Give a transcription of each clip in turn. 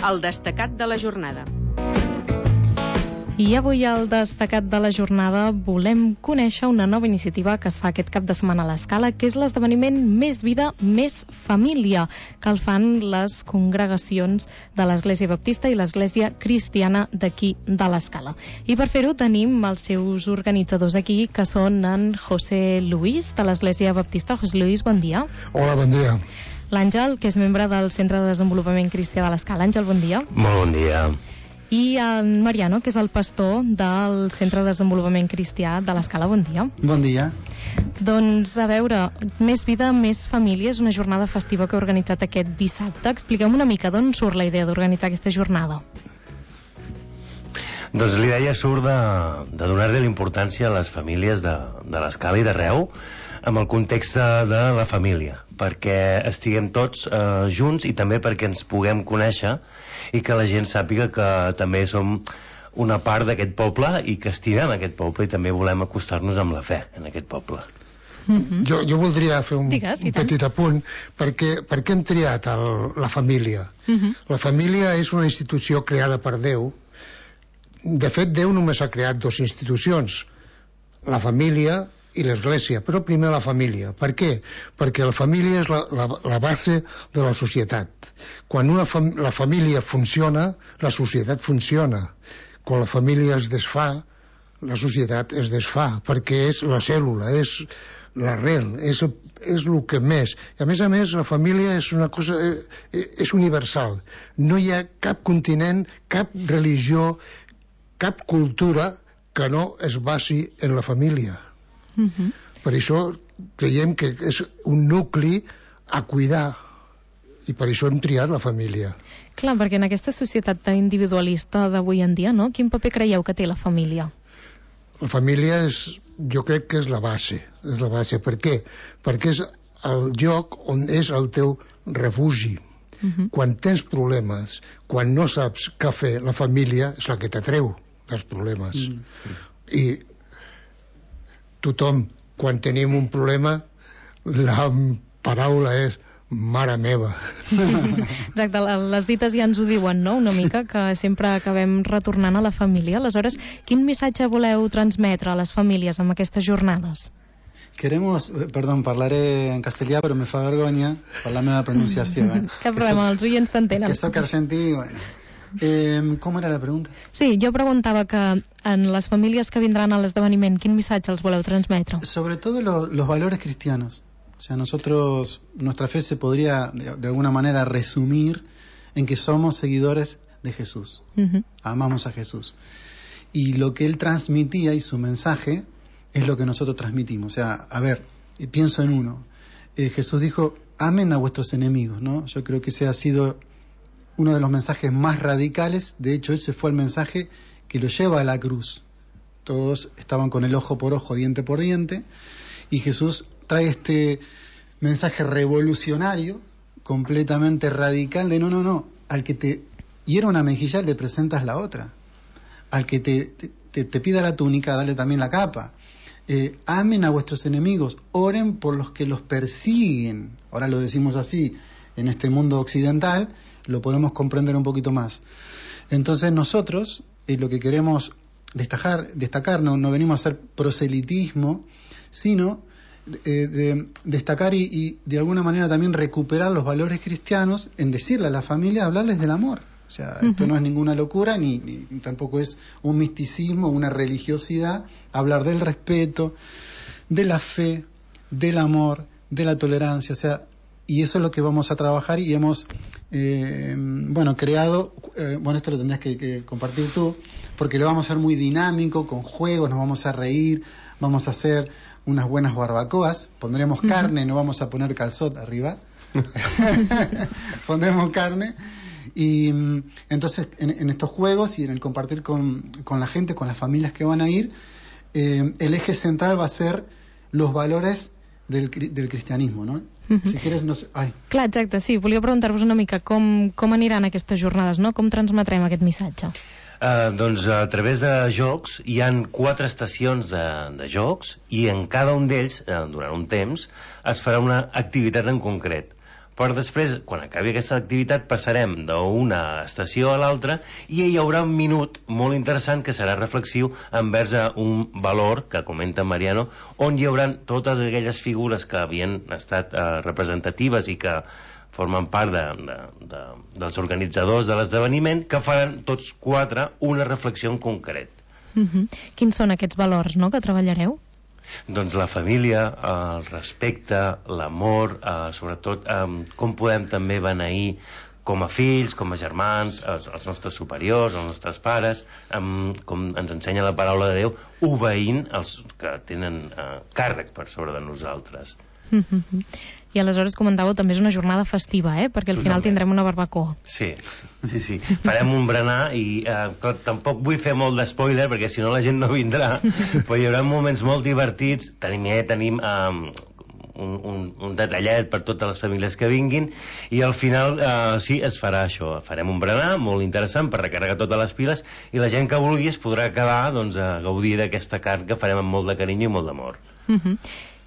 el destacat de la jornada. I avui al destacat de la jornada volem conèixer una nova iniciativa que es fa aquest cap de setmana a l'Escala, que és l'esdeveniment Més Vida, Més Família, que el fan les congregacions de l'Església Baptista i l'Església Cristiana d'aquí de l'Escala. I per fer-ho tenim els seus organitzadors aquí, que són en José Luis, de l'Església Baptista. José Luis, bon dia. Hola, bon dia. L'Àngel, que és membre del Centre de Desenvolupament Cristià de l'Escala. Àngel, bon dia. Molt bon dia. I en Mariano, que és el pastor del Centre de Desenvolupament Cristià de l'Escala. Bon dia. Bon dia. Doncs, a veure, Més Vida, Més Família és una jornada festiva que heu organitzat aquest dissabte. Expliquem una mica d'on surt la idea d'organitzar aquesta jornada. Doncs l'idea surt de donar-li l'importància a les famílies de l'Escala i d'arreu, amb el context de la família, perquè estiguem tots junts i també perquè ens puguem conèixer i que la gent sàpiga que també som una part d'aquest poble i que estimem aquest poble i també volem acostar-nos amb la fe en aquest poble. Jo voldria fer un petit apunt perquè hem triat la família. La família és una institució creada per Déu. De fet, Déu només ha creat dues institucions, la família i l'Església, però primer la família. Per què? Perquè la família és la base de la societat. Quan la família funciona, la societat funciona. Quan la família es desfà, la societat es desfà, perquè és la cèl·lula, és l'arrel, és el que més. I a més, la família és una cosa, és universal. No hi ha cap continent, cap religió, cap cultura que no es basi en la família. Per això creiem que és un nucli a cuidar i per això hem triat la família. Clar, perquè en aquesta societat tan individualista d'avui en dia, no? Quin paper creieu que té la família? La família jo crec que és la base. És la base. Per què? Perquè és el lloc on és el teu refugi. Quan tens problemes, quan no saps què fer, la família és la que t'atreu dels problemes. I tothom, quan tenim un problema, la paraula és mare meva. Exacte, les dites ja ens ho diuen, no?, una mica, que sempre acabem retornant a la família. Aleshores, quin missatge voleu transmetre a les famílies amb aquestes jornades? Parlaré en castellà, però me fa vergonya per la meva pronunciació. Cap problema, els oients t'entenen. Que soc argentí, bueno. ¿Cómo era la pregunta? Sí, yo preguntaba que en las familias que vendrán al esdeveniment, ¿quin missatge els voleu transmetre? Sobre todo los valores cristianos. O sea, nuestra fe se podría de alguna manera resumir en que somos seguidores de Jesús. Amamos a Jesús. Y lo que él transmitía y su mensaje es lo que nosotros transmitimos. O sea, a ver, pienso en uno. Jesús dijo, amen a vuestros enemigos, ¿no? Yo creo que ese ha sido uno de los mensajes más radicales. De hecho, ese fue el mensaje que lo lleva a la cruz. Todos estaban con el ojo por ojo, diente por diente, y Jesús trae este mensaje revolucionario, completamente radical, de no, al que te hiera una mejilla le presentas la otra, al que te pida la túnica, dale también la capa. Amen a vuestros enemigos, oren por los que los persiguen. Ahora lo decimos así, en este mundo occidental lo podemos comprender un poquito más. Entonces nosotros lo que queremos destacar no venimos a hacer proselitismo, sino de destacar y de alguna manera también recuperar los valores cristianos en decirle a la familia, hablarles del amor. O sea, esto no es ninguna locura ni tampoco es un misticismo, una religiosidad. Hablar del respeto, de la fe, del amor, de la tolerancia, o sea, y eso es lo que vamos a trabajar y hemos creado, esto lo tendrás que compartir tú, porque lo vamos a hacer muy dinámico, con juegos, nos vamos a reír, vamos a hacer unas buenas barbacoas, pondremos carne, no vamos a poner calzot arriba, pondremos carne, y entonces en estos juegos y en el compartir con la gente, con las familias que van a ir, el eje central va a ser los valores del cristianismo, no? Si quieres, no sé... Clar, exacte, sí, volia preguntar-vos una mica com aniran aquestes jornades, no? Com transmetrem aquest missatge? Doncs a través de jocs hi han 4 estacions de jocs i en cada un d'ells, durant un temps, es farà una activitat en concret. Però després, quan acabi aquesta activitat, passarem d'una estació a l'altra i hi haurà un minut molt interessant que serà reflexiu envers un valor que comenta Mariano, on hi haurà totes aquelles figures que havien estat representatives i que formen part dels organitzadors de l'esdeveniment, que faran tots 4 una reflexió en concret. Quins són aquests valors, no?, que treballareu? Doncs la família, el respecte, l'amor, sobretot com podem també beneir com a fills, com a germans, els nostres superiors, els nostres pares, com ens ensenya la paraula de Déu, obeint els que tenen càrrec per sobre de nosaltres. I aleshores comentàveu també és una jornada festiva, perquè al final tindrem una barbacoa. Sí. Farem un berenar i tampoc vull fer molt d'espoiler perquè si no la gent no vindrà, però hi haurà moments molt divertits. Tenim un detallet per totes les famílies que vinguin i al final sí, es farà això, farem un berenar molt interessant per recarregar totes les piles i la gent que vulgui es podrà quedar a gaudir d'aquesta carn que farem amb molt de carinyo i molt d'amor.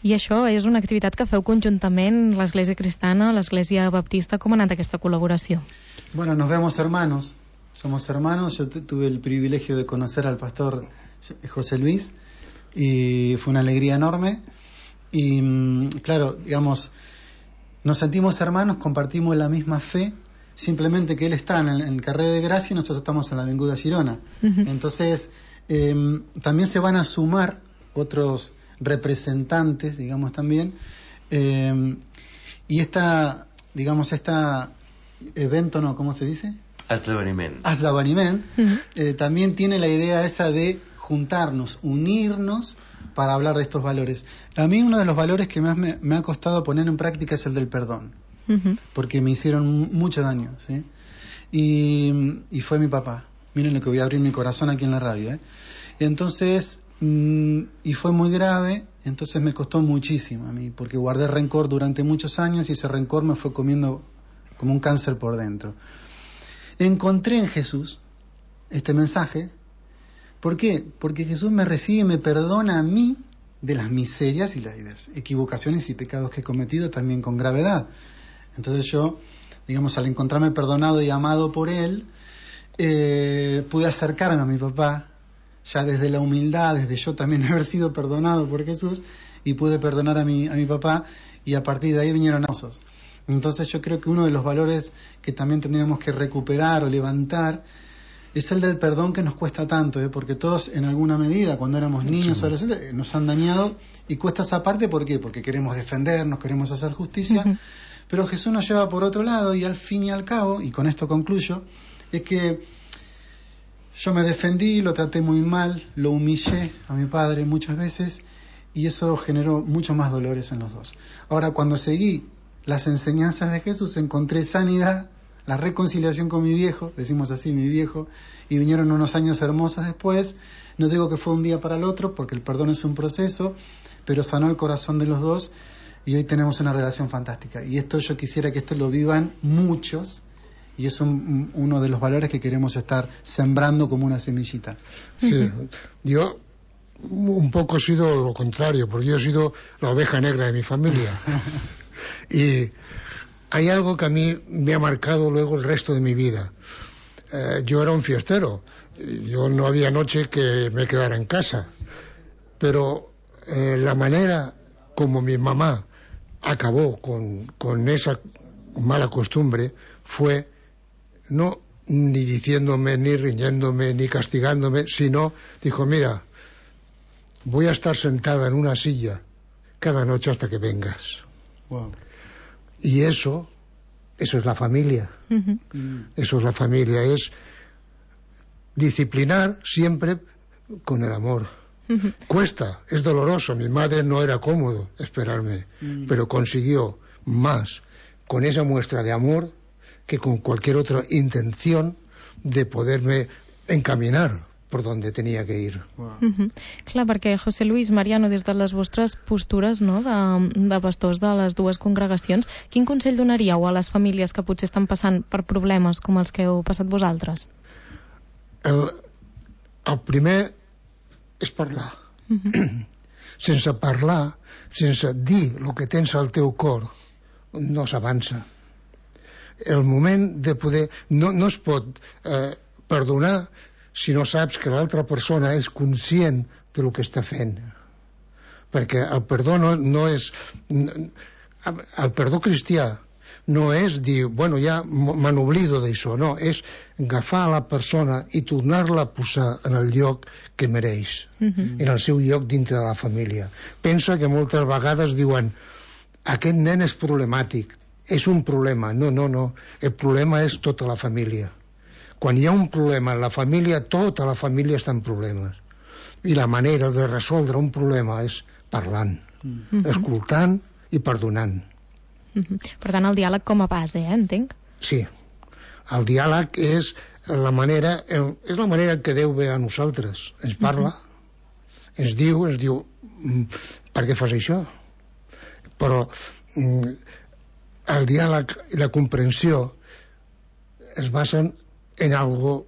I això és una activitat que feu conjuntament l'Església Cristiana, l'Església Baptista. Com ha anat aquesta col·laboració? Bueno, nos vemos hermanos, somos hermanos. Yo tuve el privilegio de conocer al pastor José Luis y fue una alegría enorme. Y claro, digamos, nos sentimos hermanos, compartimos la misma fe, simplemente que él está en Carrer de Gracia y nosotros estamos en la Avinguda Girona. Entonces, también se van a sumar otros representantes, digamos, también, y este evento, ¿no? ¿Cómo se dice? Esdeveniment. También tiene la idea esa de juntarnos, unirnos para hablar de estos valores. A mí uno de los valores que más me ha costado poner en práctica es el del perdón, porque me hicieron mucho daño, ¿sí? Y fue mi papá. Miren lo que voy a abrir mi corazón aquí en la radio, Entonces, y fue muy grave, entonces me costó muchísimo a mí, porque guardé rencor durante muchos años y ese rencor me fue comiendo como un cáncer por dentro. Encontré en Jesús este mensaje. ¿Por qué? Porque Jesús me recibe y me perdona a mí de las miserias y las equivocaciones y pecados que he cometido también con gravedad. Entonces yo, digamos, al encontrarme perdonado y amado por Él, pude acercarme a mi papá, ya desde la humildad, desde yo también haber sido perdonado por Jesús, y pude perdonar a mi papá, y a partir de ahí vinieron osos. Entonces yo creo que uno de los valores que también tendríamos que recuperar o levantar es el del perdón, que nos cuesta tanto, porque todos en alguna medida cuando éramos niños o adolescentes nos han dañado, y cuesta esa parte. ¿Por qué? Porque queremos defendernos, queremos hacer justicia, pero Jesús nos lleva por otro lado, y al fin y al cabo, y con esto concluyo, es que yo me defendí, lo traté muy mal, lo humillé a mi padre muchas veces, y eso generó mucho más dolores en los dos. Ahora, cuando seguí las enseñanzas de Jesús, encontré sanidad, la reconciliación con mi viejo, decimos así, mi viejo, y vinieron unos años hermosos después. No digo que fue un día para el otro, porque el perdón es un proceso, pero sanó el corazón de los dos, y hoy tenemos una relación fantástica. Y esto yo quisiera que esto lo vivan muchos, y es uno de los valores que queremos estar sembrando como una semillita. Sí, yo un poco he sido lo contrario, porque yo he sido la oveja negra de mi familia. Y hay algo que a mí me ha marcado luego el resto de mi vida. Yo era un fiestero, yo no había noche que me quedara en casa, pero la manera como mi mamá acabó con esa mala costumbre fue no ni diciéndome, ni riñéndome, ni castigándome, sino dijo: mira, voy a estar sentada en una silla cada noche hasta que vengas. Wow. Y eso es la familia. Eso es la familia, es disciplinar siempre con el amor. Cuesta, es doloroso. Mi madre no era cómodo esperarme, pero consiguió más con esa muestra de amor que con cualquier otra intención de poderme encaminar per on tenia que ir. Clar, perquè José Luis, Mariano, des de les vostres postures, no, de pastors de les dues congregacions, quin consell donaríeu a les famílies que potser estan passant per problemes com els que heu passat vosaltres? El primer és parlar. Sense parlar, sense dir el que tens al teu cor, no s'avança. el moment de poder... No es pot perdonar si no saps que l'altra persona és conscient del que està fent. Perquè el perdó no és... El perdó cristià no és dir, bueno, ja me n'oblido d'això, no, és agafar la persona i tornar-la a posar en el lloc que mereix, en el seu lloc dintre de la família. Pensa que moltes vegades diuen, aquest nen és problemàtic, és un problema. No, el problema és tota la família. Quan hi ha un problema en la família, tota la família està en problemes. I la manera de resoldre un problema és parlant, escoltant i perdonant. Per tant, el diàleg com a base, entenc? Sí. El diàleg és la manera que Déu ve a nosaltres. Ens parla, ens diu, per què fas això? Però el diàleg i la comprensió es basen en algo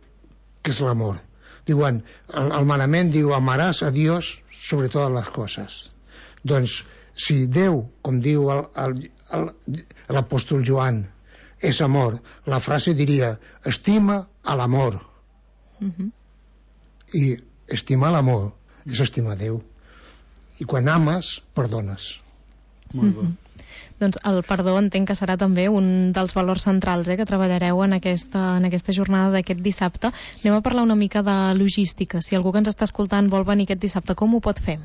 que és l'amor. Diuen, el manament diu, amaràs a Dios sobre totes les coses. Doncs, si Déu, com diu l'apòstol Joan, és amor, la frase diria, estima a l'amor. I estimar l'amor és estimar Déu. I quan ames, perdones. Molt bé. Doncs el perdó entenc que serà també un dels valors centrals que treballareu en aquesta jornada d'aquest dissabte. Anem a parlar una mica de logística. Si algú que ens està escoltant vol venir aquest dissabte, com ho pot fer?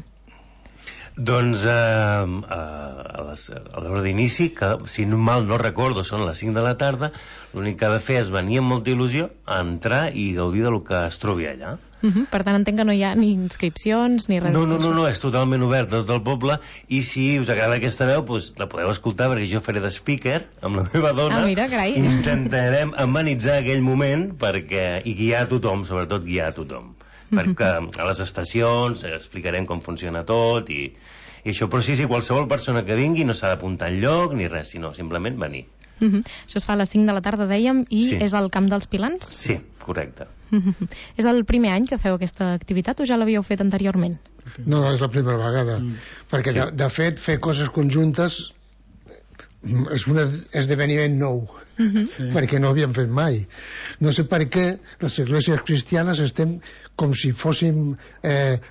Doncs a l'hora d'inici, que si mal no recordo són les 5 de la tarda, l'únic que ha de fer és venir amb molta il·lusió, entrar i gaudir del que es trobi allà. Per tant, entenc que no hi ha ni inscripcions ni res. No, és totalment obert a tot el poble, i si us agrada aquesta veu, doncs la podeu escoltar, perquè jo faré de speaker amb la meva dona. Mira, carai. Intentarem amenitzar aquell moment i guiar a tothom, sobretot guiar a tothom. Perquè a les estacions explicarem com funciona tot i això, però sí, qualsevol persona que vingui no s'ha d'apuntar enlloc ni res, sinó simplement venir. Això es fa a les 5 de la tarda, dèiem, i és al Camp dels Pilans? Sí, correcte. És el primer any que feu aquesta activitat o ja l'havíeu fet anteriorment? No, és la primera vegada, perquè de fet fer coses conjuntes és un esdeveniment nou, perquè no havíem fet mai. No sé per què les esglésies cristianes estem com si fóssim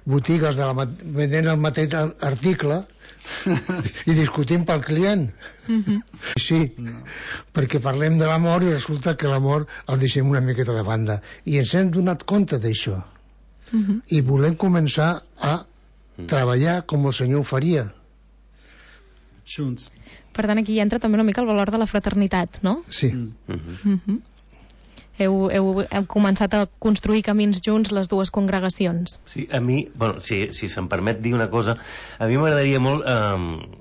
botigues venent el mateix article i discutim pel client. Sí, perquè parlem de l'amor i resulta que l'amor el deixem una miqueta de banda. I ens hem donat compte d'això. I volem començar a treballar com el Senyor ho faria. Junts. Per tant, aquí entra també una mica el valor de la fraternitat, no? Sí. Heu començat a construir camins junts les dues congregacions. Sí, a mi, si se'm permet dir una cosa, a mi m'agradaria molt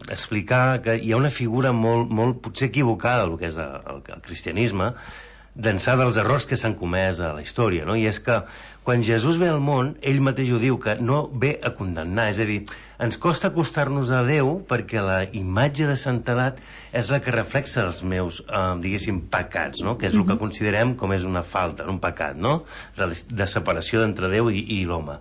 explicar que hi ha una figura molt potser equivocada del que és el cristianisme, d'ençà dels errors que s'han comès a la història, no? I és que quan Jesús ve al món, ell mateix ho diu, que no ve a condemnar, és a dir, ens costa acostar-nos a Déu perquè la imatge de santedat és la que reflexa els meus, diguéssim, pecats, no? Que és el que considerem com és una falta, un pecat, no? De separació entre Déu i l'home.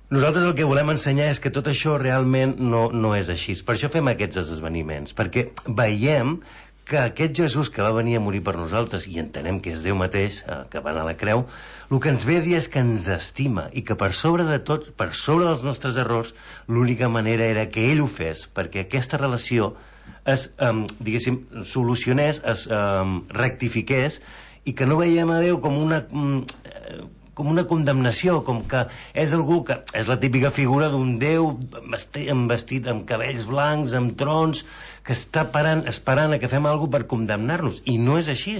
Nosaltres el que volem ensenyar és que tot això realment no és així. Per això fem aquests esdeveniments, perquè veiem que aquest Jesús que va venir a morir per nosaltres, i entenem que és Déu mateix, que va anar a la creu, el que ens ve a dir és que ens estima i que per sobre de tot, per sobre dels nostres errors, l'única manera era que ell ho fes, perquè aquesta relació es, diguéssim, solucionés, es rectifiqués, i que no veiem a Déu com una condemnació, com que és algú que és la típica figura d'un Déu vestit amb cabells blancs, amb trons, que està esperant a que fem alguna cosa per condemnar-nos, i no és així.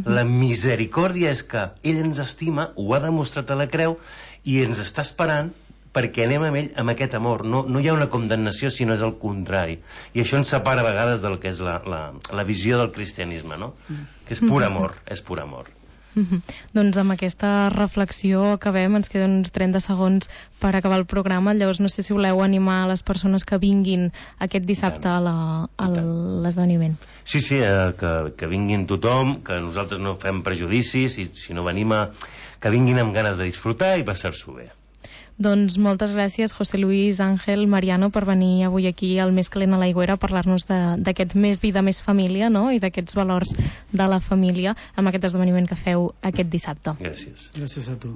La misericòrdia és que ell ens estima, ho ha demostrat a la creu, i ens està esperant perquè anem amb ell amb aquest amor. No hi ha una condemnació, sinó és el contrari, i això ens separa a vegades del que és la visió del cristianisme, no? Que és pur amor, és pur amor. Doncs amb aquesta reflexió acabem, ens queden uns 30 segons per acabar el programa, llavors no sé si voleu animar a les persones que vinguin aquest dissabte a l'esdeveniment. Sí, que vinguin tothom, que nosaltres no fem prejudicis, i si no venim que vinguin amb ganes de disfrutar i passar-s'ho bé. Doncs moltes gràcies, José Luis, Àngel, Mariano, per venir avui aquí al Més calent a l'aigüera a parlar-nos d'aquest Més vida, més família, no? I d'aquests valors de la família amb aquest esdeveniment que feu aquest dissabte. Gràcies. Gràcies a tu.